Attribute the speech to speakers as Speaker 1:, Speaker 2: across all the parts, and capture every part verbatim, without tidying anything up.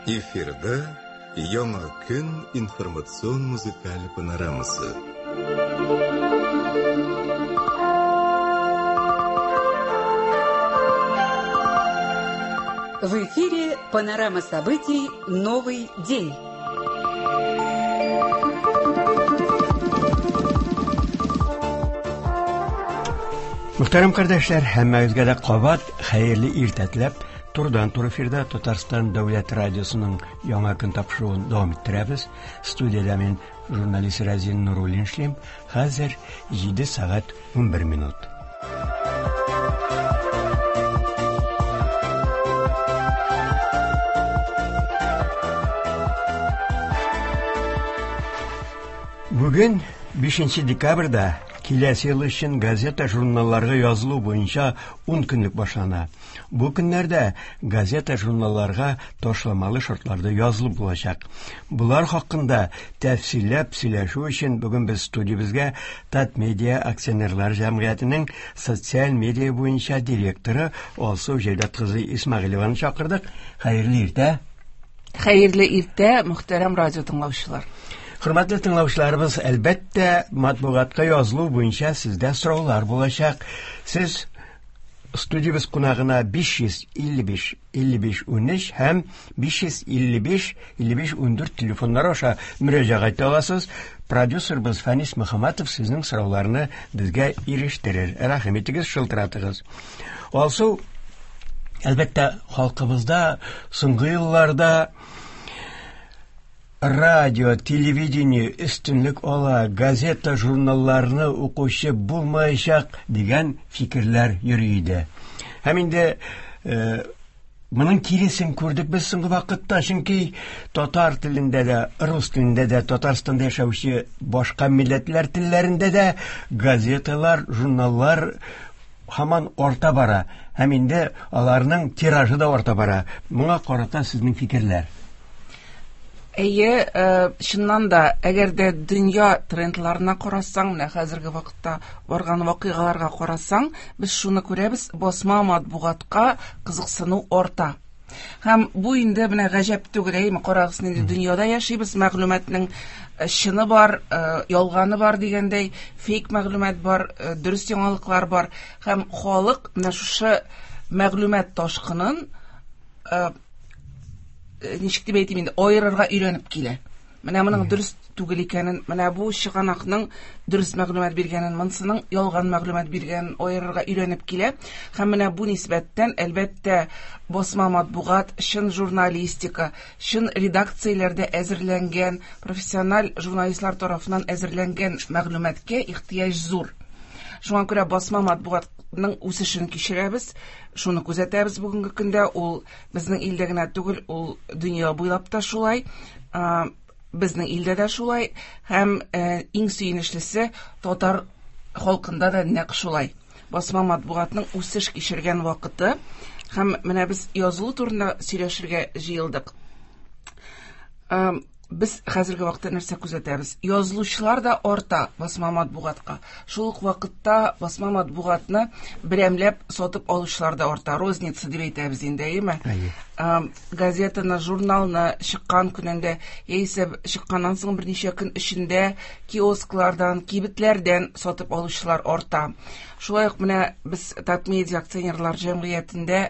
Speaker 1: Эфирда Яңа көн информацион музыкаль панорамасы.
Speaker 2: В эфире панорама событий «Новый день».
Speaker 3: Мөхтәрәм кардәшләр, һәммәгезгә дә кабат хәерле иртә теләп, турыдан-туры эфирда Татарстан Дәүләт радиосының Яңа көн тапшыруын дәвам иттерәбез. Студиядә мин журналист Разин Нуруллин эшлим. Хәзер җиде сәгать унбер минут. Бүген бишенче декабрьдә киләсе ел өчен газета-журналларга язылу буенча ун көнлек башлана. Бу көннәрдә газета-журналларга ташламалы шартларда язылып булачак. Булар хакында тәфсилләп сөйләшү өчен бүген без студиябезгә Татмедиа акционерлар җәмгыятенең социаль медиа буенча директоры Алсу Җәүдәт кызы Исмәгыйлеваны чакырдык. Хәерле иртә.
Speaker 4: Хәерле иртә, мөхтәрәм радио тыңлаучылар.
Speaker 3: Хөрмәтле тыңлаучыларыбыз, әлбәттә, матбугатка язылу буенча сездә сораулар булачак. Сез студиябез кунагына биш йөз илле биш илле биш унөч һәм биш йөз илле биш илле биш ундүрт телефоннары аша мөрәҗәгать итә аласыз. Продюсерыбыз Фәнис Мөхәммәтов сезнең сорауларны безгә ирештерер. Рәхим итегез, шылтыратыгыз. Алсу, әлбәттә, халкыбызда соңгы елларда радио, телевидение өстенлек ала, газета, журналларны укучы булмаячак дигән фикерләр йөри иде. Һәм инде, э, моның киресен күрдек без соңгы вакытта, чөнки татар телендә дә, рус телендә дә, Татарстанда яшәүче башка милләтләр телләрендә дә газеталар, журналлар һаман арта бара. Һәм инде аларның тиражы да арта бара. Моңа карата сезнең фикерләр?
Speaker 4: Әйе, э, чыннан да, әгәр дә дөнья трендларына карасаң, менә хәзерге вакытта барган вакыйгаларга карасаң, без шуны күрәбез, басма матбугатка кызыксыну арта. Һәм бу инде менә гаҗәп түгел, әйеме, карагыз, нинди дөньяда яшибез, мәгълүматның, э, чыны бар, э, ялганы бар дигәндәй, фейк мәгълүмат бар, э, дөрес яңалыклар бар. Һәм халык менә шушы мәгълүмат ташкынын, э, ничек дип әйтим инде, аерырга өйрәнеп килә. Менә моның дөрес түгел икәнен, менә бу чыганакның дөрес мәгълүмат биргәнен, монсының ялган мәгълүмат биргәнен аерырга өйрәнеп килә. Һәм менә бу нисбәттән, әлбәттә, басма матбугат, чын журналистика, чын редакцияләрдә әзерләнгән, профессиональ журналистлар тарафыннан әзерләнгән мәгълүматка ихтыяҗ зур. Шуңа күрә басма матбугатның үсешен кичерәбез, шуны күзәтәбез бүгенге көндә. Ул безнең илдә генә түгел, ул дөнья буйлап та шулай, а, безнең илдә дә шулай, һәм, э, иң сөенечлесе, татар халкында да нәкъ шулай. Басма матбугатның үсеш кичергән вакыты, һәм менә без язылу турында сөйләшергә җыелдык. Ам, без хәзерге вакытта нәрсә күзәтәбез? Язылучылар да арта басма матбугатка. Шул ук вакытта басма матбугатны берәмләп сатып алучылар да арта. Розница дип әйтәбез инде, әйеме?
Speaker 3: Әйе.
Speaker 4: Ам, газетаны, журналны чыккан көнендә, яисә чыкканнан соң берничә көн эчендә киосклардан, кибетләрдән сатып алучылар арта. Шулай ук менә без Татмедиа акционерлар җәмгыятендә,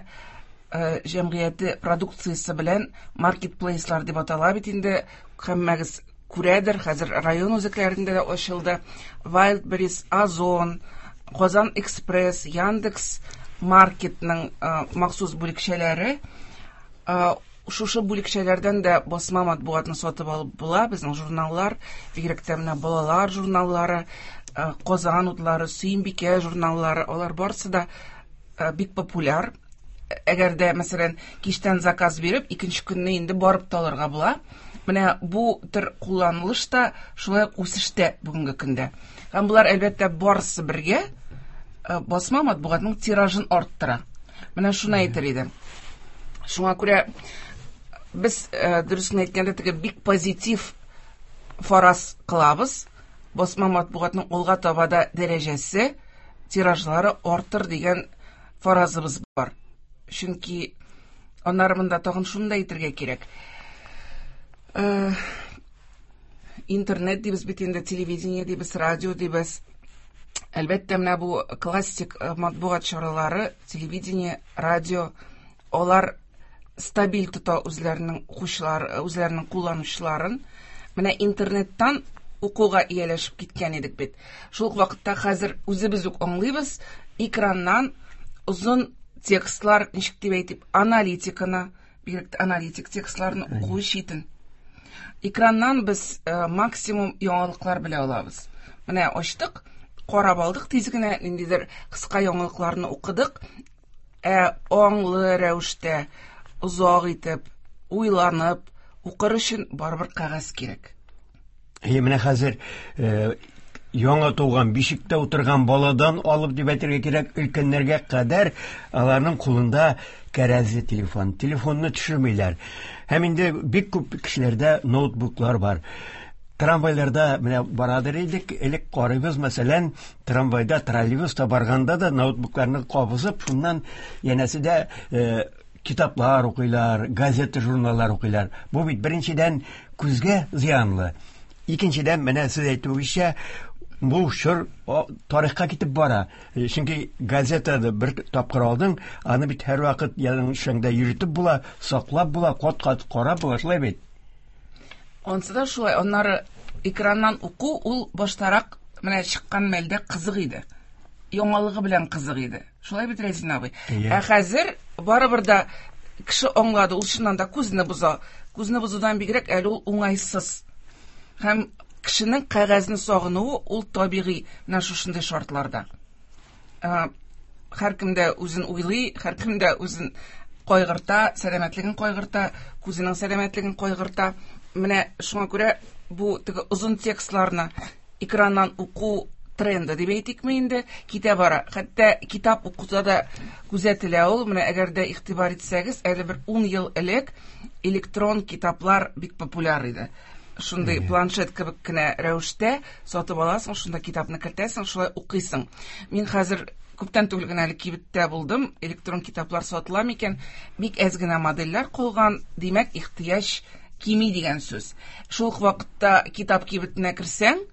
Speaker 4: э, җәмгыяте продукциясе белән маркетплейслар дип атала бит инде, һәммәгез күрәдер, хәзер район үзәкләрендә дә ачылды. Wildberries, Озон, Казан Экспресс, Яндекс Маркетның, э, махсус бүлекчәләре. Э, шушы бүлекчәләрдән дә басма матбугатны сатып алып була. Безнең журналлар, бигрәк тә менә балалар журналлары, э, Казан утлары, Сөембикә журналлары, алар барысы да, э, бик популяр. Әгәр дә, мәсәлән, кичтән заказ биреп, икенче көнне инде барып та алырга була. Менә бу төр кулланылыш та шулай ук үсештә бүгенге көндә. Һәм булар, әлбәттә, барысы бергә, э, басма матбугатның тиражын арттыра. Менә шуны әйтер идем. Шуңа күрә без, э, дөресен әйткәндә, теге бик позитив фараз кылабыз. Басма матбугатның алга таба да дәрәҗәсе, тиражлары артыр дигән фаразыбыз бар. Чөнки аннары монда тагын шуны да әйтергә кирәк. Э, интернет дибез бит инде, телевидение дибез, радио дибез. Әлбәттә, менә бу классик э, матбугат чаралары, телевидение, радио, алар стабиль тота үзләренең укучылар, үзләренең кулланучыларын. Менә интернеттан укуга ияләшеп киткән идек бит. Шул ук вакытта хәзер үзебез үк аңлыйбыз, экраннан озын текстлар, ничек дип әйтеп, аналитиканы, бигрәк тә аналитик текстларны уку читен. Экраннан без э, максимум яңалыклар белә алабыз. Менә ачтык, карап алдык, тиз генә ниндидер кыска яңалыкларны укыдык. Ә аңлы рәвештә, озак итеп, уйланып укыр өчен барыбер кәгазь кирәк.
Speaker 3: Әйе, менә хәзер э, яңа туган бишектә утырган баладан алып дип әйтергә кирәк, өлкәннәргә кадәр аларның кулында кәрәзле телефон. Телефонны төшермиләр. Һәм инде бик күп кешеләрдә ноутбуклар бар. Трамвайларда менә барадыр идек, элек карыйбыз, мәсәлән, трамвайда, троллейбуста барганда да ноутбукларны кабызып, шуннан янәсе дә э, китаплар укыйлар, газета, журналлар укыйлар. Бу бит беренчедән күзгә зыянлы. Икенчедән, менә сез әйтүегезчә, бу чор тарихка китеп бара. Чөнки газетаны бер тапкыр алдың, аны бит һәрвакыт яныңда йөртеп була, саклап була, кат-кат карап була, шулай бит.
Speaker 4: Ансы да шулай. Аннары экраннан уку ул баштарак менә чыккан мәлдә кызык иде. Яңалыгы белән кызык иде. Шулай бит, Рәзин абый? Ә хәзер барыбер да кеше аңлады, ул чыннан да күзне боза. Күзне бозудан бигрәк әле ул уңайсыз. Һәм кешенең кәгазьне сагынуы ул табигый менә шушындый шартларда. Һәркем дә үзен уйлый, һәркем дә үзен кайгырта, сәламәтлеген кайгырта, күзенең сәламәтлеген кайгырта. Менә шуңа күрә бу теге озын текстларны экраннан уку тренды дип әйтикме инде, китә бара. Хәтта китап укуда да күзәтелә ул. Менә әгәр дә игътибар итсәгез, әле бер ун ел элек электрон китаплар бик популяр иде. Шундый планшет кебек кенә рәвештә сатып аласың, шунда китапны кертәсең, шулай укыйсың. Мин хәзер күптән түгел генә әле кибеттә булдым, электрон китаплар сатыла микән? Бик әз генә модельләр калган, димәк, ихтыяҗ кими дигән сүз. Шул ук вакытта китап кибетенә керсәң,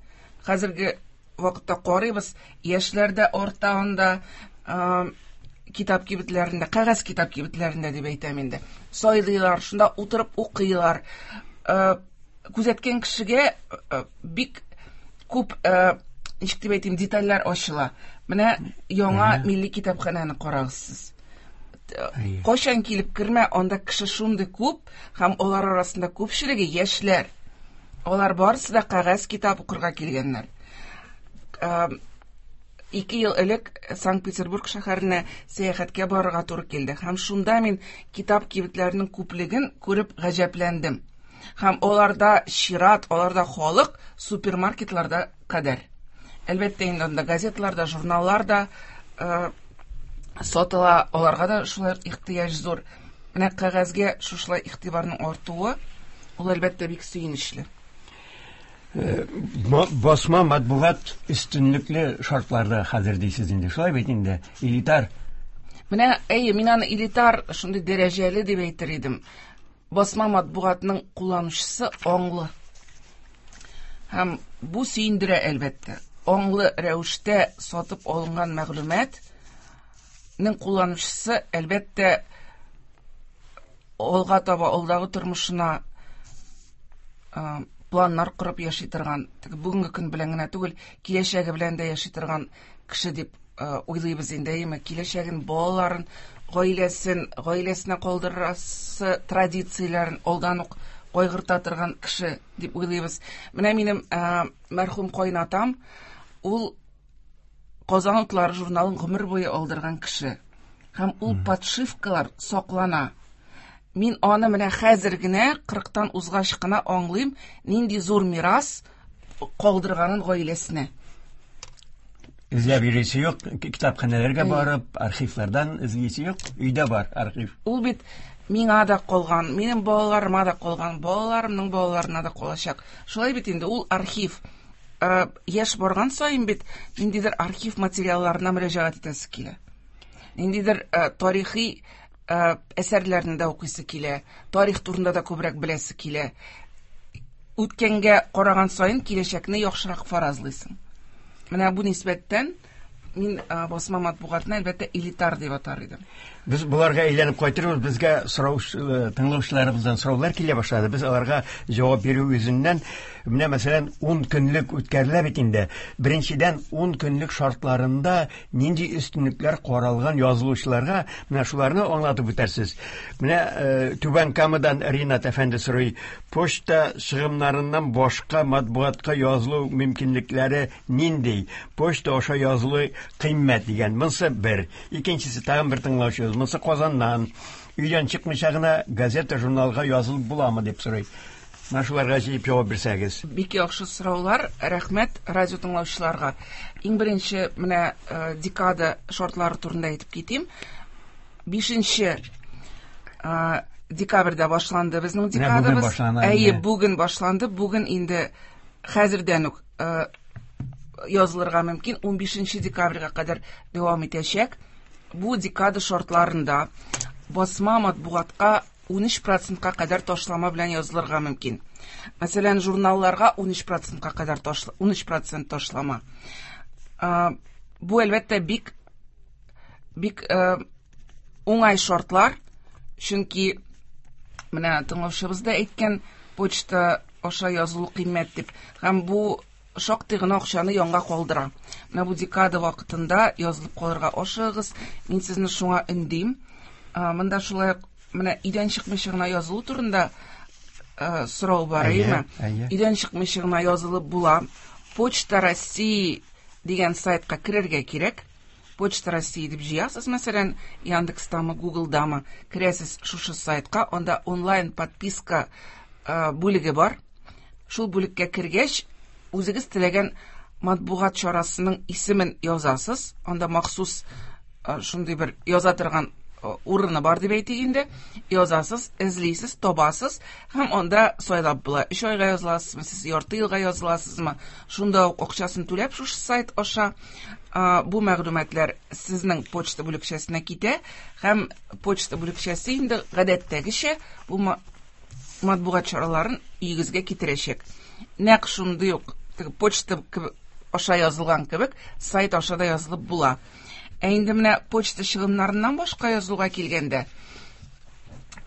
Speaker 4: хәзерге вакытта карыйбыз, яшьләр дә арта анда, китап кибетләрендә, кәгазь китап кибетләрендә дип әйтәм инде. Сайлыйлар, шунда утырып укыйлар. Күзәткән кешегә бик күп, ничек дип әйтим, детальләр ачыла. Менә яңа милли китапханәне карагыз сез. Кайчан килеп кермә, анда кеше шундый күп, һәм алар арасында күпчелеге яшьләр. Алар барысы да кәгазь китап укырга килгәннәр. Ике ел элек Санкт-Петербург шәһәренә сәяхәткә барырга туры килде. Һәм шунда мин китап кибетләренең күплеген күреп гаҗәпләндем. Һәм аларда чират, аларда халык супермаркетларда кадәр. Әлбәттә инде анда газеталар да, журналлар да э, сатыла, аларга да шулай ихтыяҗ зур. Менә кәгазьгә шушылай игътибарның артуы, ул әлбәттә бик сөенечле.
Speaker 3: Басма матбугат өстенлекле шартларда хәзер дисез инде. Шулай бит инде, элитар.
Speaker 4: Менә, әйе, мин аны элитар шундый дәрәҗәле дип әйтер идем. Басма матбугатның кулланучысы аңлы. Һәм бу сөендерә әлбәттә. Аңлы рәвештә сатып алынган мәгълүматның кулланучысы әлбәттә алга таба алдагы тормышына планнар корып яши торган, бүгенге көн белән генә түгел, киләчәге белән дә яши торган кеше дип уйлыйбыз инде, әйеме? Киләчәген, балаларын, гаиләсен, гаиләсенә калдырасы традицияләрен алдан ук кайгырта торган кеше дип уйлыйбыз. Менә минем мәрхүм кайнатам, ул Казан утлары журналын гомер буе алдырган кеше. Һәм ул подшивкалар саклана. Мин аны менә хәзер генә, кырыктан узгач кына аңлыйм, нинди зур мирас калдырганын гаиләсенә.
Speaker 3: Эзләп йөрисе юк, китапханәләргә барып, архивлардан эзлисе юк, өйдә бар архив.
Speaker 4: Ул бит миңа да калган, минем балаларыма да калган, балаларымның балаларына да калачак. Шулай бит инде ул архив. Яшь барган саен бит ниндидер архив материалларына мөрәҗәгать итәсе килә. Ниндидер тарихи әсәрләрне дә укыйсы килә, тарих турында да күбрәк беләсе килә. Үткәнгә караган саен киләчәкне яхшырак фаразлыйсың. Менә бу нисбәттән мин басма матбугатны әлбәттә элитар дип атар идем.
Speaker 3: Без боларга әйләнеп кайтырбыз. Безгә сорау тыңлаучыларыбыздан сораулар килә башлады. Без аларга җавап бирү йөзеннән менә мәсәлән ун көнлек үткәрелә бит инде. Беренчедән ун көнлек шартларында нинди өстенлекләр каралган язылучыларга, менә шуларны аңлатып үтәрсез. Менә Түбән Камадан Ринат әфәнде сорый: почта чыгымнарыннан башка матбугатка язылу мөмкинлекләре нинди? Почта аша язылу кыйммәт дигән. Монысы бер. Икенчесе тагын бер тыңлаучыбыз. Монысы Казаннан. Өйдән чыкмыйча гына газета, журналга язылып буламы дип сорый. Менә шуларга җыеп җавап бирсәгез.
Speaker 4: Бик яхшы сораулар. Рәхмәт радио тыңлаучыларга. Иң беренче менә декада шартлары турында әйтеп китим. Бишенче декабрьдә башланды безнең декадабыз. Әйе, бүген башланды. Бүген инде хәзердән үк язылырга мөмкин. ун бишенче декабрьгә кадәр дәвам итәчәк. Бу декада шартларында басма матбугатка ун өч процентка кадәр ташлама белән язылырга мөмкин. Мәсәлән, журналларга ун өч процентка кадәр ташла, ун өч процент ташлама. Бу әлбәттә бик бик уңай шартлар, чөнки менә тыңлаучыбыз да әйткән, почта аша язылу кыйммәт дип. Һәм бу шактый гына акчаны янга калдыра. Менә бу декада вакытында язылып калырга ашыгыгыз. Мин сезне шуңа өндим. Монда шулай ук менә өйдән чыкмыйча гына язылу турында сорау бар, әйеме? Өйдән чыкмыйча гына язылып була. Почта России дигән сайтка керергә кирәк. Почта России дип җыясыз, мәсәлән, Яндекстамы, Гуглдамы, керәсез шушы сайтка, анда онлайн подписка бүлеге бар. Шул бүлеккә кергәч, үзегез теләгән матбугат чарасының исемен язасыз. Анда махсус шундый бер яза торган урыны бар дип әйтик инде. Язасыз, эзлисез, табасыз һәм анда сайлап була. Өч айга языласызмы, сез ярты елга языласызмы? Шунда ук акчасын түләп шушы сайт аша бу мәгълүматлар сезнең почта бүлекчәсенә китә һәм почта бүлекчәсе инде гадәттәгечә бу матбугат чараларын өегезгә китерәчәк. Нәкъ шундый ук почта аша язылган кебек сайт аша да язылып була. Ә инде менә почта чыгымнарыннан башка язылуга килгәндә,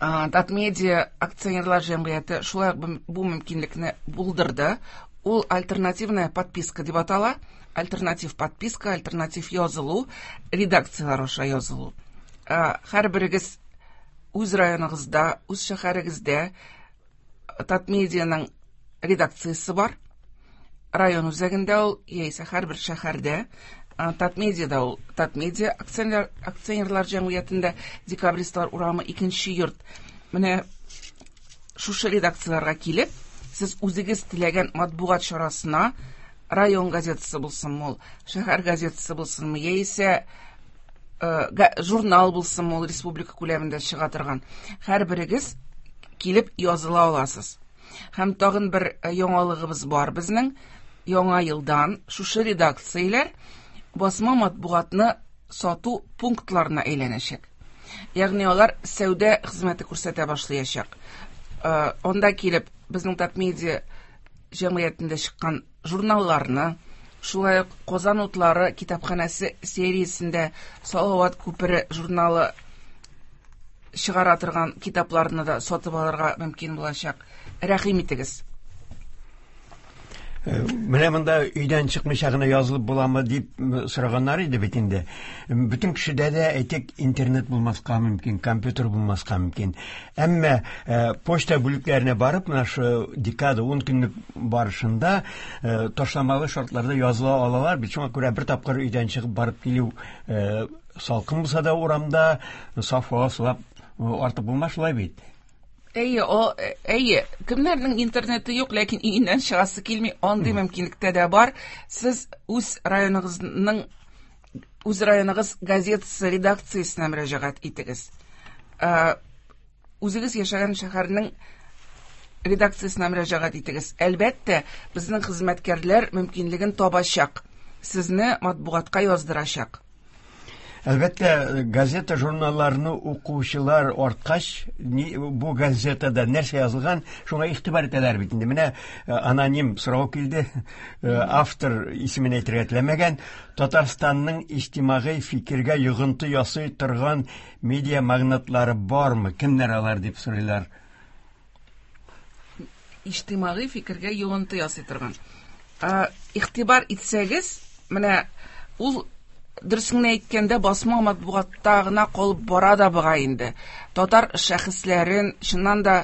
Speaker 4: Татмедиа акционерлар җәмгыяте шулай ук бу мөмкинлекне булдырды. Ул альтернативная подписка дип атала. Альтернатив подписка, альтернатив язылу, редакциялар аша язылу. Һәрберегез үз районыгызда, үз шәһәрегездә Татмедианың редакциясе бар. Район үзәгендә ул, яисә һәрбер шәһәрдә. Татмедиада ул, Татмедиа акционер, акционерлар җәмгыятендә Декабристлар урамы икенче йорт. Менә шушы редакцияларга килеп, сез үзегез теләгән матбугат чарасына, район газетасы булсынмы ул, шәһәр газетасы булсынмы, яисә журнал булсынмы ул, республика күләмендә чыга торган, һәрберегез килеп языла аласыз. Һәм тагын бер яңалыгыбыз бар безнең. Яңа елдан шушы редакцияләр басма матбугатны сату пунктларына әйләнәчәк. Ягъни алар сәүдә хезмәте күрсәтә башлаячак. Анда килеп безнең Татмедиа җәмгыятендә чыккан журналларны, шулай ук Казан утлары китапханәсе сериясендә Салават күпере журналы чыгара торган китапларны да сатып алырга мөмкин булачак. Рәхим итегез.
Speaker 3: Менә монда өйдән чыкмыйча гына язылып буламы дип сораганнар иде бит инде. Бөтен кешедә дә әйтик интернет булмаска мөмкин, компьютер булмаска мөмкин. Әмма почта бүлекләренә барып, менә шу декада ун көнлек барышында ташламалы шартларда языла алалар. Бит шуңа күрә бер тапкыр өйдән чыгып барып килү салкын булса да урамда саф һава сулап артык булмас шулай бит.
Speaker 4: Әйе, о, әйе, кемнәрнең интернеты юк, ләкин өеннән чыгасы килми, андый мөмкинлектә дә бар. Сез үз районыгызның, үз районыгыз газетасы редакциясенә мөрәҗәгать итегез. Үзегез яшәгән шәһәрнең редакциясенә мөрәҗәгать итегез. Әлбәттә, безнең хезмәткәрләр мөмкинлеген табачак, сезне матбугатка яздырачак.
Speaker 3: Әлбәттә, газета, журналларны укучылар арткач, бу газетада нәрсә язылган, шуңа игътибар итәләр бит инде. Менә аноним сорау килде, автор исемен әйтергә теләмәгән. Татарстанның иҗтимагый фикергә йогынты ясый торган медиа магнатлары бармы? Кемнәр алар дип сорыйлар.
Speaker 4: Иҗтимагый фикергә йогынты ясый торган. Игътибар итсәгез, менә ул дөресен әйткәндә басма матбугатта гына калып бара да бугай инде. Татар шәхесләрен, чыннан да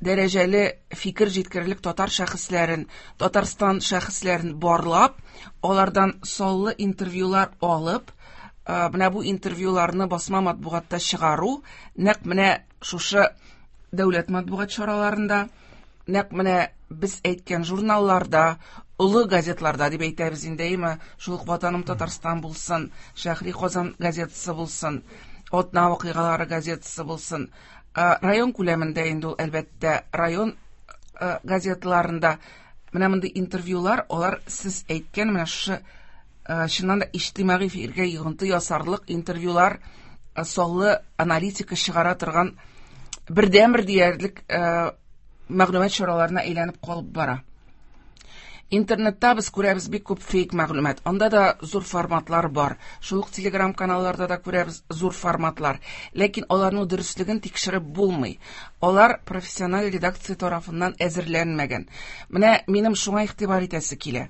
Speaker 4: дәрәҗәле фикер җиткерерлек татар шәхесләрен, Татарстан шәхесләрен барлап, алардан саллы интервьюлар алып, менә бу интервьюларны басма матбугатта чыгару, нәкъ менә шушы дәүләт матбугат чараларында, нәкъ менә без әйткән журналларда, олы газетларда дип әйтәбез инде, әйме, шул ук Ватаным Татарстан булсын, Шәһри Казан газетасы булсын, Атна вакыйгалары газетасы булсын, район күләмендә инде ул әлбәттә район газетларында менә мондый интервьюлар, алар сез әйткән менә шушы чыннан да иҗтимагый фикергә йогынты ясарлык интервьюлар, саллы аналитика чыгара торган бердәнбер диярлек мәгълүмат чараларына әйләнеп калып бара. Интернетта без күрәбез бик күп фейк мәгълүмат. Анда да зур форматлар бар. Шул ук Telegram каналларда да күрәбез зур форматлар. Ләкин аларның дөреслеген тикшереп булмый. Алар профессиональ редакция тарафыннан әзерләнмәгән. Менә минем шуңа игътибар итәсе килә.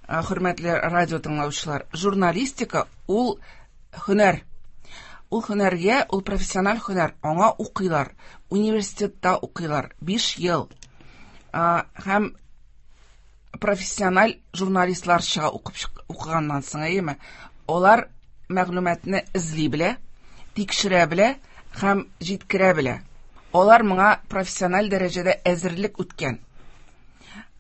Speaker 4: Хөрмәтле радио тыңлаучылар, журналистика ул һөнәр. Ул һөнәргә, ул профессиональ һөнәр. Аңа укыйлар, университетта укыйлар биш ел. Һәм профессиональ журналистлар чыга укып укыганнан соң, әйеме? Алар мәгълүматны эзли белә, тикшерә белә һәм җиткерә белә. Алар моңа профессиональ дәрәҗәдә әзерлек үткән.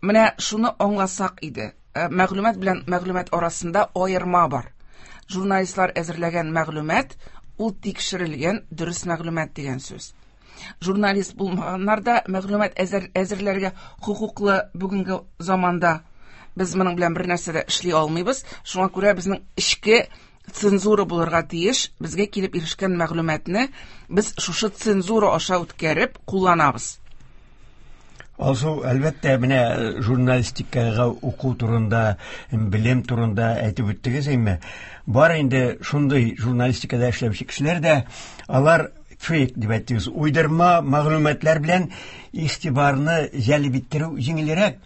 Speaker 4: Менә шуны аңласак иде. Мәгълүмат белән мәгълүмат арасында аерма бар. Журналистлар әзерләгән мәгълүмат ул тикшерелгән дөрес мәгълүмат дигән сүз. Журналист булмаганнар да мәгълүмат әзер, әзерләргә хокуклы бүгенге заманда. Без моның белән бер нәрсә дә эшли алмыйбыз. Шуңа күрә безнең эчке цензура булырга тиеш. Безгә килеп ирешкән мәгълүматны без шушы цензура аша үткәреп кулланабыз.
Speaker 3: Алсу, әлбәттә, менә журналистикага уку турында, белем турында әйтеп үттегез, әйме? Бар инде шундый журналистикада эшләүче кешеләр дә, алар фейк дип әйттегез, уйдырма мәгълүматлар белән игътибарны җәлеп иттерү җиңелрәк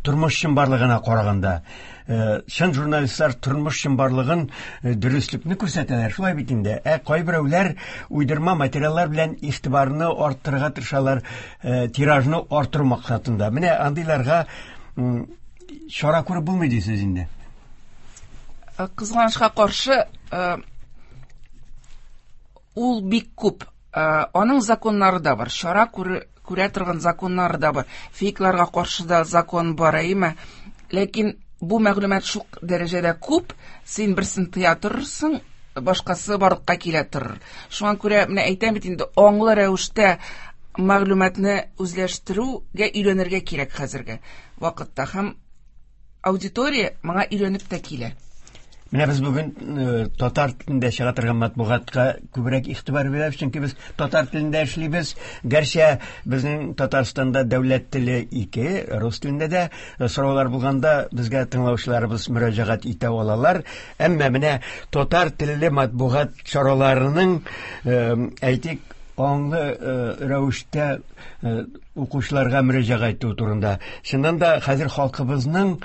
Speaker 3: тормыш чынбарлыгына караганда. Чын журналистлар тормыш чынбарлыгын, дөреслекне күрсәтәләр, шулай бит инде. Ә кайберәүләр уйдырма материаллар белән игътибарны арттырырга тырышалар, тиражны арттыру максатында. Менә андыйларга чара күреп булмый дисез инде.
Speaker 4: Кызганычка каршы, ул бик күп. Аның законнары да бар, чара күрә торган законнары да бар. Фейкларга каршы да закон бар, әйеме? Ләкин бу мәгълүмат шул дәрәҗәдә күп, син берсен тыя торырсың, башкасы барлыкка килә торыр. Шуңа күрә менә әйтәм бит инде, аңлы рәвештә мәгълүматны үзләштерүгә өйрәнергә кирәк хәзерге вакытта. Һәм аудитория моңа өйрәнеп тә килә.
Speaker 3: Менә без бүген татар телендә чыга торган матбугатка күбрәк игътибар бирәбез, чөнки без татар телендә эшлибез. Гәрчә безнең Татарстанда дәүләт теле ике, рус телендә дә сораулар булганда безгә тыңлаучыларыбыз мөрәҗәгать итә алалар. Әмма менә татар телле матбугат чараларының, әйтик, аңлы рәвештә укучыларга мөрәҗәгать итү турында. Чыннан да хәзер халкыбызның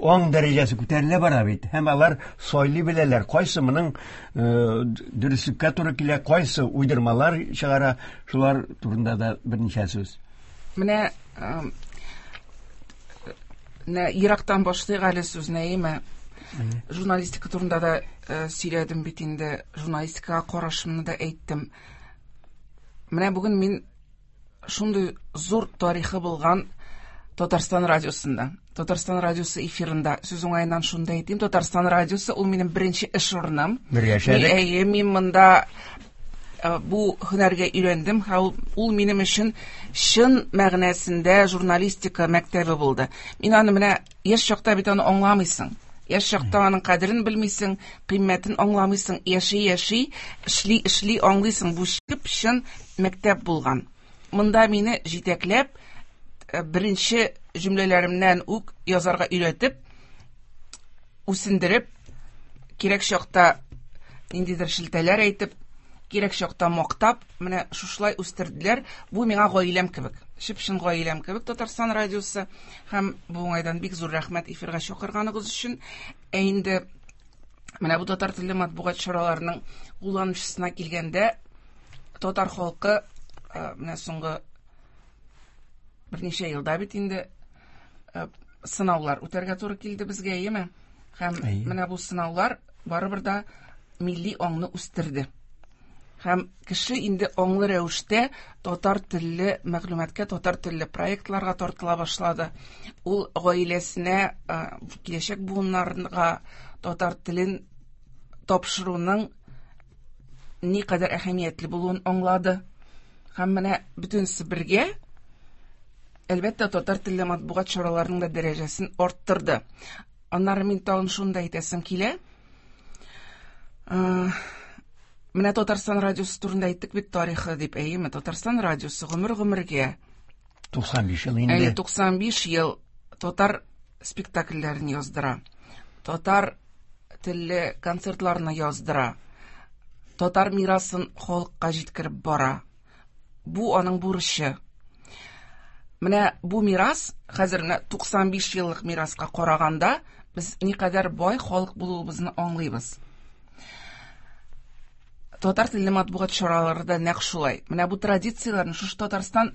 Speaker 3: аң дәрәҗәсе күтәрелә бара бит. Һәм алар сайлый беләләр, кайсы моның дөреслеккә туры килә, кайсы уйдырмалар чыгара, шулар турында да берничә сүз.
Speaker 4: Менә ерактан башлыйк әле сүзне, әйеме? Журналистика турында да сөйләдем бит инде, журналистикага карашымны да әйттем. Менә бүген мин шундый зур тарихы булган Татарстан радиосында, Татарстан радиосы эфирында, сүз уңаеннан шунда әйтим, Татарстан радиосы ул минем беренче эш урыным.
Speaker 3: Бергә эшләдек.
Speaker 4: Әйе, мин монда бу һөнәргә өйрәндем, һәм ул минем өчен чын мәгънәсендә журналистика мәктәбе булды. Мин аны менә яшь чакта бит аны аңламыйсың. Яшь чакта аның кадерен белмисең, кыйммәтен аңламыйсың. Яши-яши, эшли-эшли аңлыйсың. Бу чып-чын мәктәп булган. Монда мине җитәкләп, беренче җөмләләремнән үк язарга өйрәтеп, үсендереп, кирәк чакта ниндидер шелтәләр әйтеп, кирәк чакта мактап, менә шушылай үстерделәр. Бу миңа гаиләм кебек, чып-чын гаиләм кебек Татарстан радиосы. Һәм бу уңайдан бик зур рәхмәт эфирга чакырганыгыз өчен. Ә инде менә бу татар телле матбугат чараларының кулланучысына килгәндә, татар халкы менә соңгы берничә елда бит инде сынаулар үтәргә туры килде безгә, әйеме? Һәм менә бу сынаулар барыбер да милли аңны үстерде. Һәм кеше инде аңлы рәвештә татар телле мәгълүматка, татар телле проектларга тартыла башлады. Ул гаиләсенә, киләчәк буыннарга татар телен тапшыруның никадәр әһәмиятле булуын аңлады. Һәм менә бөтенесе бергә, әлбәттә, татар телле матбугат чараларының да дәрәҗәсен арттырды. Аннары мин тагын шуны да әйтәсем килә. Менә Татарстан радиосы турында әйттек бит, тарихы дип, әйеме? Татарстан радиосы гомер-гомергә
Speaker 3: туксан биш ел инде.
Speaker 4: Әйе, туксан биш ел татар спектакльләрен яздыра. Татар телле концертларны яздыра. Татар мирасын халыкка җиткереп бара. Бу аның бурычы. Менә бу мирас, хәзер менә туксан биш еллык мираска караганда, без никадәр бай халык булуыбызны аңлыйбыз. Татар телле матбугат чаралары да нәкъ шулай. Менә бу традицияләрне, шушы Татарстан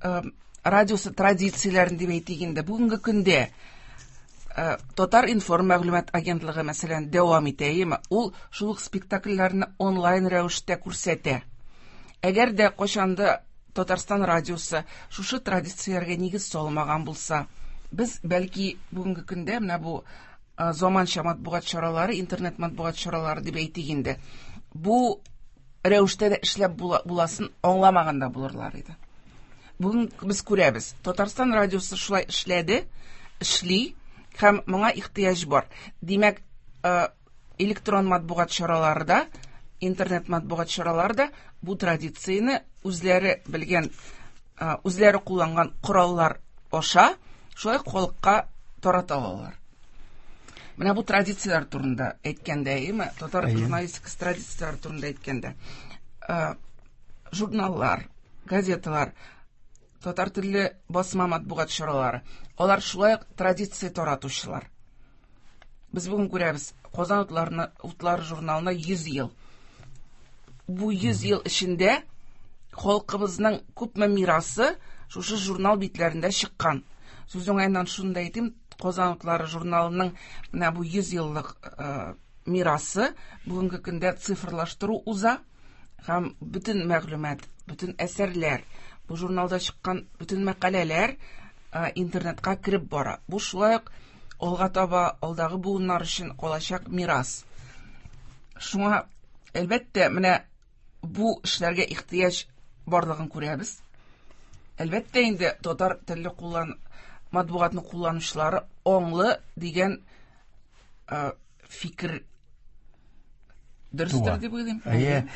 Speaker 4: э, радиосы традицияләрен дип әйтик инде. Бүгенге көндә э, Татар информ мәгълүмат агентлыгы, мәсәлән, дәвам итә, әйеме? Ул шул ук спектакльләрне онлайн рәвештә күрсәтә. Әгәр дә кайчанда Татарстан радиосы шушы традицияләргә нигез салмаган булса, без бәлки бүгенге көндә менә бу заманча матбугат чаралары, интернет матбугат чаралары дип әйтик инде, бу рәвештә дә эшләп буласын аңламаган да булырлар иде. Бүген без күрәбез, Татарстан радиосы шулай эшләде, эшли һәм моңа ихтыяҗ бар. Димәк, электрон матбугат чаралары да, интернет матбугат чаралары да бу традицияне үзләре белгән, үзләре кулланган кораллар аша шулай халыкка тарата алалар. Менә бу традицияләр турында әйткәндә, әйеме? Татар журналистикасы традицияләре турында әйткәндә, журналлар, газеталар, татар телле басма матбугат чаралары, алар шулай ук традиция таратучылар. Без бүген күрәбез, Казан утларына, утлары журналына йөз ел. Бу йөз ел эчендә халкыбызның күпме мирасы шушы журнал битләрендә чыккан. Сүз уңаеннан шуны да әйтим, Казан утлары журналының менә бу йөз еллык э, мирасы бүгенге көндә цифрлаштыру уза һәм бөтен мәгълүмат, бөтен әсәрләр, бу журналда чыккан бөтен мәкаләләр э, интернетка кереп бара. Бу шулай ук алга таба алдагы буыннар өчен калачак мирас. Шуңа әлбәттә менә бу эшләргә ихтыяҗ барлыгын күрәбез. Әлбәттә инде татар телле куллан матбугатны кулланучылары аңлы дигән э, фикер дөрестер дип уйлыйм.
Speaker 3: Әйе,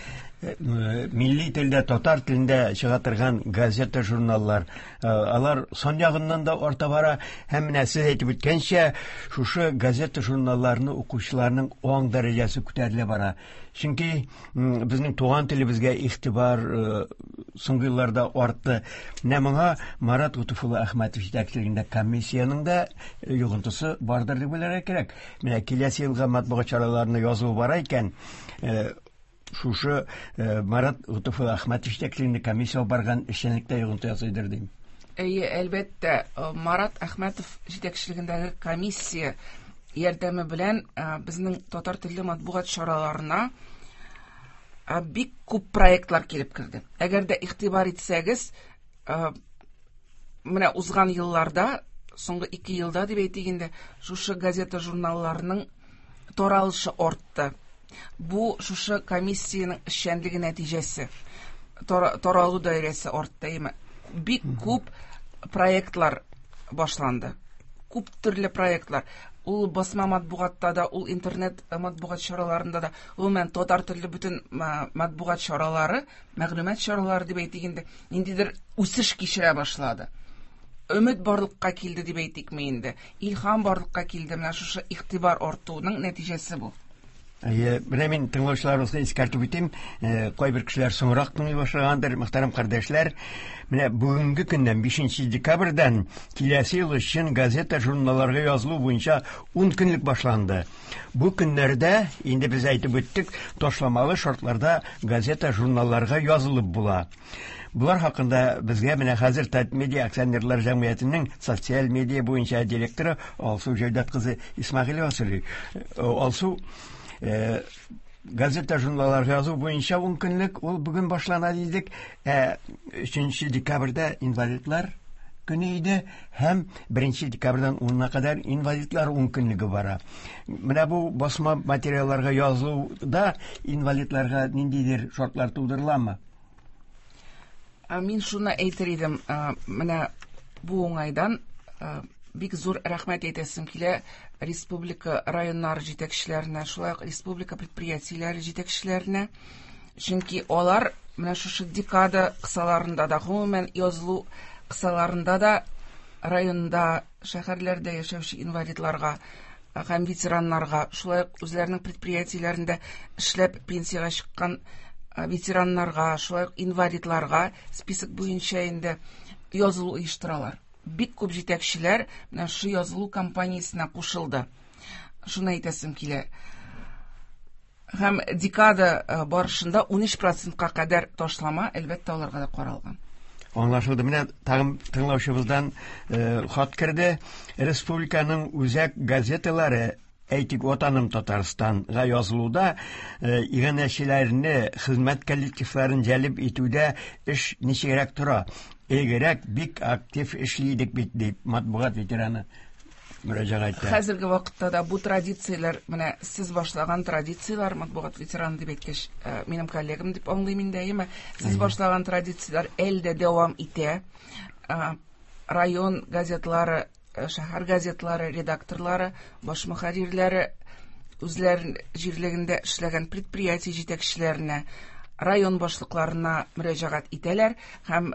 Speaker 3: милли телдә, татар телендә чыга торган газета, журналлар, алар сан ягыннан да арта бара. Һәм менә сез әйтеп үткәнчә, шушы газета, журналларны укучыларның аң дәрәҗәсе күтәрелә бара. Чөнки безнең туган телебезгә игътибар соңгы елларда артты. Менә моңа Марат Готыфулла Әхмәтов җитәкчелегендә комиссиянең дә йогынтысы бардыр дип уйларга кирәк. Менә киләсе елга матбугат чараларына язу бара икән, шушы Марат Готыфулла Әхмәтов җитәкчелегендә комиссия барган эшчәнлектә йогынты ясыйдыр дим.
Speaker 4: Әйе, әлбәттә, Марат Әхмәтов җитәкчелегендәге комиссия ярдәме белән безнең татар телле матбугат чараларына бик күп проектлар килеп керде. Әгәр дә игътибар итсәгез, менә узган елларда, соңгы ике елда дип әйтик инде, шушы газета журналларының таралышы артты. Бу шушы комиссиянең эшчәнлеге нәтиҗәсе. Таралу даирәсе артты, әйеме? Бик күп проектлар башланды. Күп төрле проектлар. Ул басма матбугатта да, ул интернет матбугат чараларында да, гомумән татар телле бөтен матбугат чаралары, мәгълүмат чаралары дип әйтик инде, ниндидер үсеш кичерә башлады. Өмет барлыкка килде дип әйтикме инде. Илһам барлыкка килде. Менә шушы игътибар артуның нәтиҗәсе бу.
Speaker 3: Әйе, менә мин тыңлаучыларыбызга искәртеп үтим, кайбер кешеләр соңрак тыңлый башлагандыр, мөхтәрәм кардәшләр. Менә бүгенге көннән бишенче декабрьдән киләсе ел өчен газета, журналларга язылу буенча ун көнлек башланды. Бу көннәрдә, инде без әйтеп үттек, ташламалы шартларда газета, журналларга язылып була. Булар хакында безгә менә хәзер Татмедиа акционерлар җәмгыятенең социаль медиа буенча директоры Алсу Җәүдәт кызы Исмәгыйлева сөйли. Алсу, Э, газета журналлар язу буенча ун көнлек ул бүген башлана дидек. Ә өченче декабрьдә инвалидлар көне иде һәм беренче декабрьдән унына кадәр инвалидлар ун көнлеге бара. Менә бу басма материалларга язылуда инвалидларга ниндидер шартлар тудырыламы?
Speaker 4: Мин шуны әйтер идем, менә бу уңайдан бик зур рәхмәт әйтәсем килә республика районнары җитәкчеләренә, шулай ук республика предприятиеләре җитәкчеләренә. Чөнки алар менә шушы декада кысаларында да, гомумән язылу кысаларында да районда, шәһәрләрдә яшәүче инвалидларга һәм ветераннарга, шулай ук үзләренең предприятиеләрендә эшләп пенсиягә чыккан ветераннарга, шулай ук инвалидларга список буенча инде язылу оештыралар. Бик күп җитәкчеләр менә шу язылу кампаниясенә кушылды. Шуны әйтәсем килә. Һәм декада барышында ун өч процентка кадәр ташлама әлбәттә аларга да каралган.
Speaker 3: Аңлашылды. Менә тагын тыңлаучыбыздан хат керде. Республиканың үзәк газеталары, әйтик, Ватаным Татарстанга язылуда иганәчеләрне, хезмәт коллективларын җәлеп итүдә эш ничегрәк тора? Элегрәк бик актив эшли идек бит, дип матбугат ветераны мөрәҗәгать итә.
Speaker 4: Хәзерге вакытта да бу традицияләр, менә сез башлаган традицияләр, матбугат ветераны дип әйткәч, минем коллегам дип аңлыйм инде, әйеме? Сез башлаган традицияләр әле дә дәвам итә. Район газетлары, шәһәр газетлары редакторлары, баш мөхәррирләре үзләрен җирлегендә эшләгән предприятие җитәкчеләренә, район башлыкларына мөрәҗәгать итәләр һәм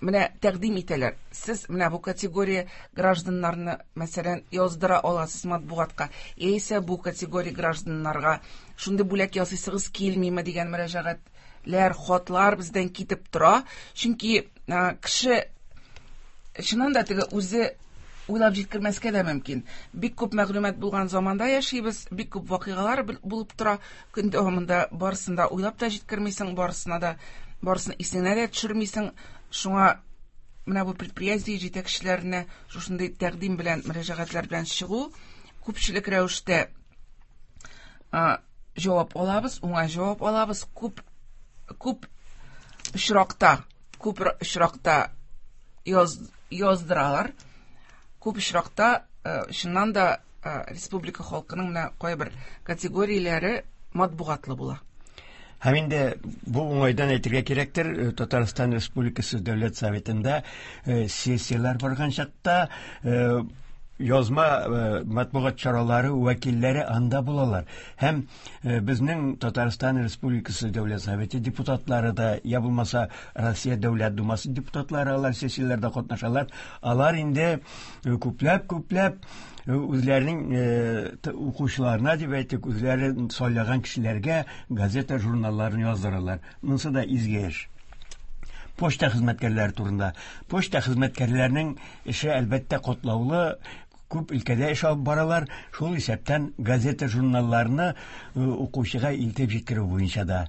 Speaker 4: менә тәкъдим итәләр. Сез менә бу категория гражданнарны, мәсәлән, яздыра аласыз матбугатка, яисә бу категория гражданнарга шундый бүләк ясыйсыгыз килмиме дигән мөрәҗәгатьләр, хатлар бездән китеп тора. Чөнки кеше чыннан да теге үзе уйлап җиткермәскә дә мөмкин. Бик күп мәгълүмат булган заманда яшибез, бик күп вакыйгалар булып тора. Көн дәвамында барысын да уйлап та җиткермисең, барысына да, барысын исеңә дә төшермисең. Шуңа менә бу предприятие җитәкчеләренә шушындый тәкъдим белән, мөрәҗәгатьләр белән чыгу, күпчелек рәвештә җавап алабыз, уңай җавап алабыз. Күп, күп очракта, күп очракта яз, яздыралар. Күп очракта, чыннан да, республика халкының менә кайбер категорияләре матбугатлы була.
Speaker 3: Һәм инде бу уңайдан әйтергә кирәктер, Татарстан Республикасы Дәүләт Советында сессияләр барган чакта язма матбугат чаралары вәкилләре анда булалар. Һәм безнең Татарстан Республикасы Дәүләт Советы депутатлары да, я булмаса Россия Дәүләт Думасы депутатлары алар сессияләрдә катнашалар. Алар инде күпләп-күпләп үзләренең укучыларына дип әйтик, үзләре сайлаган кешеләргә газета, журналларын яздыралар. Монысы да изге эш. Почта хезмәткәрләре турында. Почта хезмәткәрләренең эше әлбәттә катлаулы, күп өлкәдә эш алып баралар, шул исәптән газета, журналларны укучыга илтеп җиткерү буенча да.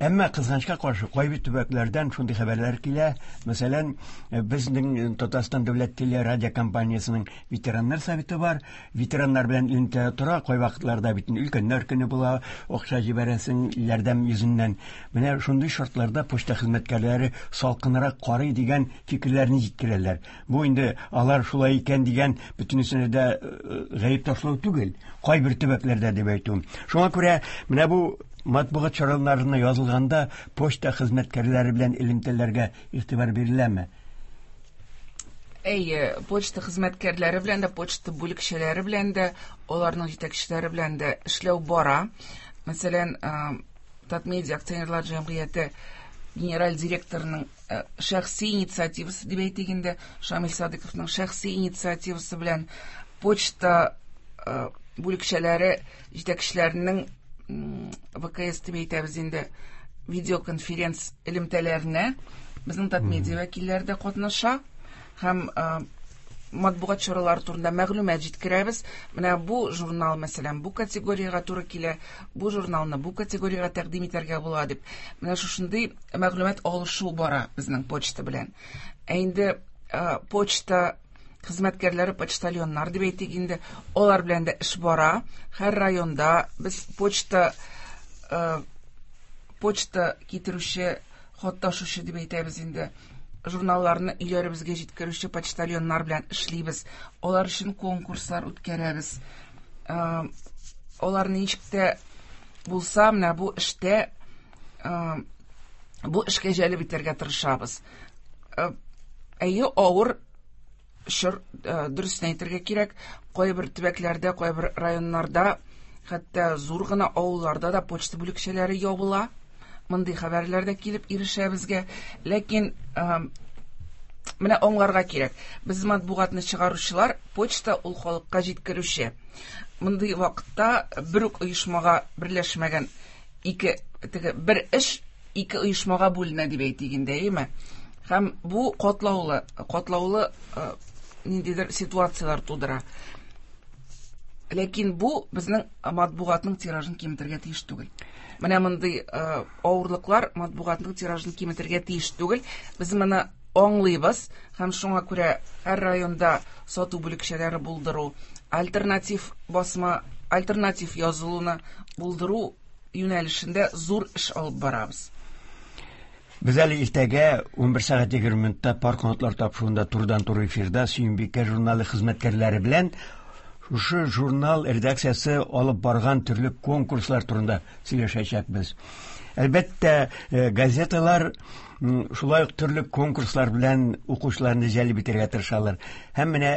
Speaker 3: Әмма кызганычка каршы кайбер төбәкләрдән шундый хәбәрләр килә. Мәсәлән, безнең Татарстан дәүләт телерадиокомпаниясенең ветераннар советы бар. Ветераннар белән элемтә тора, кайвакытларда бит өлкәннәр көне була, акча җибәрәсең ярдәм йөзеннән. Менә шундый шартларда почта хезмәткәрләре салкынрак карый дигән фикерләрне җиткерәләр. Бу инде алар шулай икән дигән бөтенесенә дә гаеп ташлау түгел, кайбер төбәкләрдә дип әйтүем. Шуңа күрә менә бу матбугат чараларына язылганда почта хезмәткәрләре белән элемтәләргә игътибар биреләме?
Speaker 4: Әйе, почта хезмәткәрләре белән дә, почта бүлекчәләре белән дә, аларның җитәкчеләре белән дә эшләү бара. Мәсәлән, Татмедиа акционерлар җәмгыяте генераль директорының шәхси инициативасы дип әйтик инде, Шамил Садыковның шәхси инициативасы белән почта бүлекчәләре җитәкчеләренең вэ ка эс дип әйтәбез инде, видеоконференц элемтәләренә безнең Татмедиа вәкилләре дә катнаша һәм матбугат чаралары турында мәгълүмат җиткерәбез. Менә бу журнал, мәсәлән, бу категориягә туры килә, бу журналны бу категориягә тәкъдим итәргә була дип. Менә шушындый мәгълүмат алышу бара безнең почта белән. Ә инде почта хезмәткәрләре, почтальоннар дип әйтик инде, алар белән дә эш бара. Һәр районда без почта, почта китерүче, хат ташучы дип әйтәбез инде, журналларны өйләребезгә җиткерүче почтальоннар белән эшлибез. Алар өчен конкурслар үткәрәбез. Алар ничек тә булса, менә бу эштә, бу эшкә җәлеп итәргә тырышабыз. Әйе, авыр чор, дөресен әйтергә кирәк, кайбер төбәкләрдә, кайбер районнарда, хәтта зур гына авылларда да почта бүлекчәләре ябыла. Мондый хәбәрләр дә килеп ирешә безгә. Ләкин менә аңларга кирәк. Без матбугатны чыгаручылар, почта ул халыкка җиткерүче. Мондый вакытта бер үк оешмага берләшмәгән ике, теге бер эш ике оешмага бүленә дип әйтик инде, әйеме? Һәм бу катлаулы, катлаулы ниндидер ситуацияләр тудыра. Ләкин бу безнең матбугатның тиражын киметергә тиеш түгел. Менә мондый авырлыклар матбугатның тиражын киметергә тиеш түгел. Без моны аңлыйбыз һәм шуңа күрә һәр районда сату бүлекчәләре булдыру, альтернатив басма, альтернатив язылуны булдыру юнәлешендә зур эш алып барабыз.
Speaker 3: Без әле иртәгә ун бер сәгать егерме минутта Пар канатлар тапшыруында турыдан-туры эфирда Сөембикә журналы хезмәткәрләре белән шушы журнал редакциясе алып барган төрле конкурслар турында сөйләшәчәкбез. Әлбәттә, газеталар шулай ук төрле конкурслар белән укучыларны җәлеп итәргә тырышалар. Һәм менә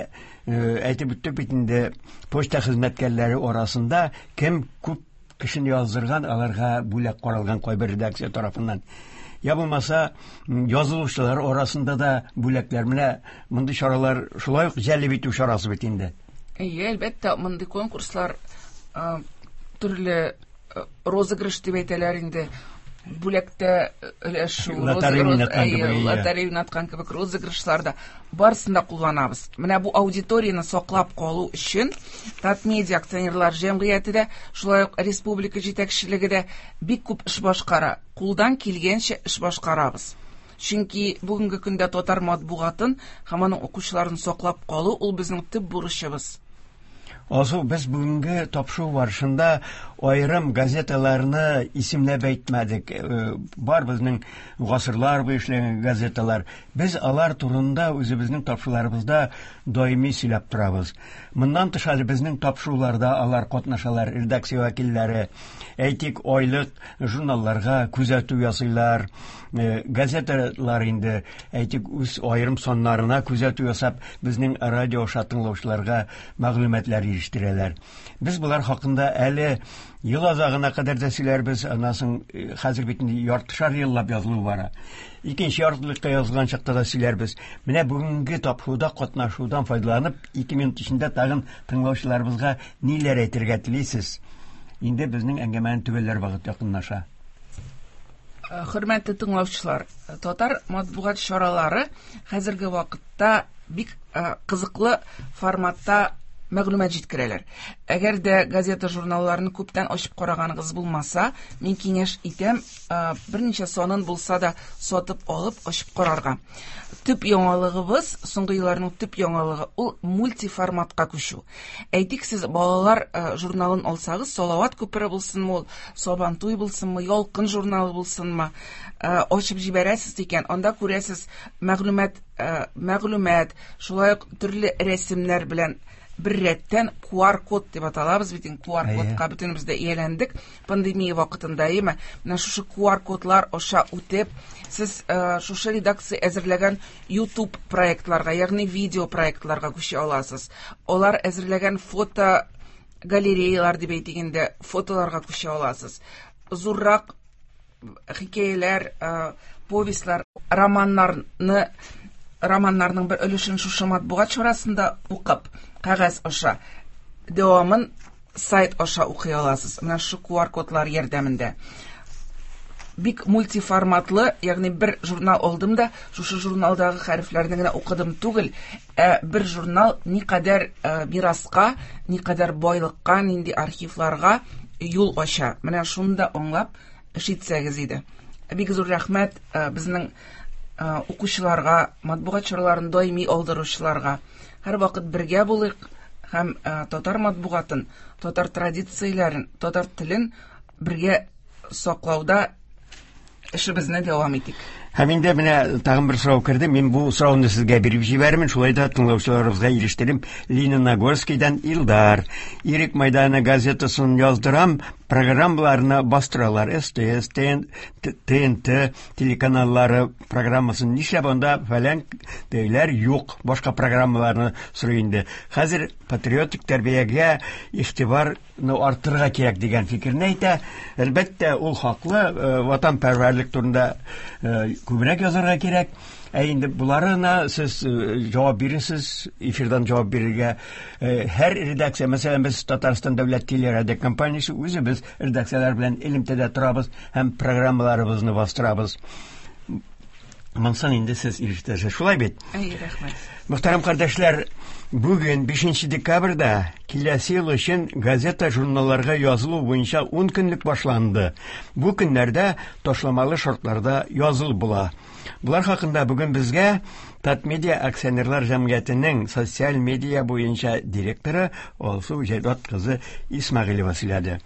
Speaker 3: әйтеп үттек бит инде, почта хезмәткәрләре арасында кем күп кешене яздырган, аларга бүләк каралган кайбер редакция тарафыннан. Я булмаса, язылучылар арасында да бүләкләр. Менә мондый чаралар шулай ук җәлеп итү чарасы бит инде.
Speaker 4: Әйе, әлбәттә, мондый конкурслар төрле розыгрыш дип әйтәләр инде. Бүләктә өләшү, лотерея уйнаткан кебек розыгрышлар да барысын да кулланабыз. Менә бу аудиторияне саклап калу өчен Татмедиа акционерлар җәмгыяте дә, шулай ук республика җитәкчелеге дә бик күп эш башкара. Кулдан килгәнчә эш башкарабыз. Чөнки бүгенге көндә татар матбугатын һәм аның укучыларын саклап калу ул безнең төп бурычыбыз.
Speaker 3: Алсу, без бүгенге тапшыру барышында аерым газеталарны исемләп әйтмәдек. Бар безнең гасырлар буе эшләгән газеталар. Без алар турында үзебезнең тапшыруларыбызда даими сөйләп торабыз. Моннан тыш әле безнең тапшыруларда алар катнашалар, редакция вәкилләре. Әйтик, айлык журналларга күзәтү ясыйлар. Газеталар инде, әйтик, үз аерым саннарына күзәтү ясап, безнең радио аша тыңлаучыларга мәгълүматлар ирештерәләр. Без булар хакында әле ел азагына кадәр дә сөйләрбез, аннан соң хәзер бит инде яртышар еллап язылу бара. Икенче яртылыкка язылган чакта да сөйләрбез. Менә бүгенге тапшыруда катнашудан файдаланып, ике минут эчендә тагын тыңлаучыларыбызга ниләр әйтергә телисез? Инде безнең әңгәмәне төгәлләр вакыт якынлаша.
Speaker 4: Хөрмәтле тыңлаучылар, татар матбугат чаралары хәзерге вакытта бик кызыклы форматта мәгълүмат җиткерәләр. Әгәр дә газета журналларны күптән ачып караганыгыз булмаса, мин киңәш итәм, берничә санын булса да сатып алып ачып карарга. Төп яңалыгыбыз, соңгы елларның төп яңалыгы ул мультиформатка күчү. Әйтик, сез балалар журналын алсагыз, Салават күпере булсынмы ул, Сабантуй булсынмы, Ялкын журналы булсынмы, ачып җибәрәсез икән, анда күрәсез мәгълүмат, мәгълүмат, шулай ук төрле рәсемнәр белән Бер рәттән ку ар код дип аталабыз бит инде, ку ар кодка бөтенебез дә ияләндек пандемия вакытында, әйеме? Менә шушы ку ар кодлар аша үтеп, сез шушы редакция әзерләгән YouTube проектларга, ягъни видео проектларга күчә аласыз. Алар әзерләгән фото галереялар дип әйтик инде, фотоларга күчә аласыз. Зуррак хикәяләр, повестьлар, романнарны, романнарның бер өлешен шушы матбугат чарасында укып, кәгазь аша, дәвамын сайт аша укый аласыз. Менә шушы ку ар кодлар ярдәмендә. Бик мультиформатлы, ягъни бер журнал алдым да, шушы журналдагы хәрефләрне генә укыдым түгел, ә бер журнал никадәр мираска, никадәр байлыкка, нинди архивларга юл ача. Менә шуны да аңлап эш итсәгез иде. Бик зур рәхмәт безнең укучыларга, матбугат чараларын даими алдыручыларга. Һәрвакыт бергә булыйк һәм татар матбугатын, татар традицияләрен, татар телен бергә саклауда эшебезне дәвам итик.
Speaker 3: Һәм инде менә тагын бер сорау керде. Мин бу сорауны сезгә биреп җибәрмен, шулай да тыңлаучыларыбызга ирештерим. Лениногорскийдан Илдар. Ирек Майданы газетасын яздырам, программаларны бастыралар. Эс Тэ Эс, Тэ Эн Тэ телеканаллары программасын нишләп анда фәлән дәйләр юк, башка программаларны сорый инде. Хәзер патриотик тәрбиягә игътибарны арттырырга кирәк дигән фикерне әйтә. Әлбәттә, ул хаклы, ватанпәрвәрлек турында күбрәк язарга кирәк. Ә инде буларына сез җавап бирерсез, эфирдан җавап бирергә һәр редакция, мәсәлән, без Татарстан дәүләт телерадиокомпаниясе үзебез редакцияләр белән элемтәдә торабыз һәм программаларыбызны бастырабыз. Монсын инде сез ирештерәсез. Шулай бит?
Speaker 4: Әй, рәхмәт.
Speaker 3: Мөхтәрәм кардәшләр, бүген бишенче декабрьдә киләсе ел өчен газета журналларга язылу буенча ун көнлек башланды. Бу көннәрдә ташламалы шартларда язылып була. Булар хакында бүген безгә Татмедиа акционерлар җәмгыятенең социаль медиа буенча директоры Алсу Җәйдат кызы Исмәгыйлева сөйләде.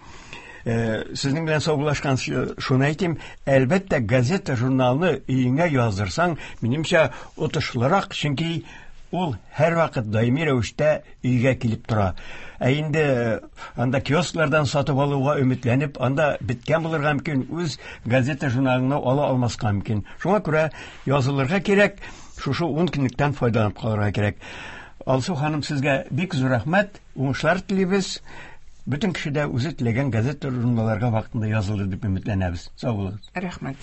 Speaker 3: Сезнең белән саубуллашкан шуны әйтим, әлбәттә, газета журналны өеңә яздырсаң, минемчә, отышлырак, чөнки ул һәрвакыт даими рәвештә өйгә килеп тора. Ә инде анда киосклардан сатып алуга өметләнеп, анда беткән булырга мөмкин, үз газета журналыңны ала алмаска мөмкин. Шуңа күрә язылырга кирәк, шушы ун көнлектән файдаланып калырга кирәк. Алсу ханым, сезгә бик зур рәхмәт, уңышлар телибез. Бөтен кеше дә үзе теләгән газета журналларга вакытында язылыр дип өметләнәбез. Сау булыгыз.
Speaker 4: Рәхмәт.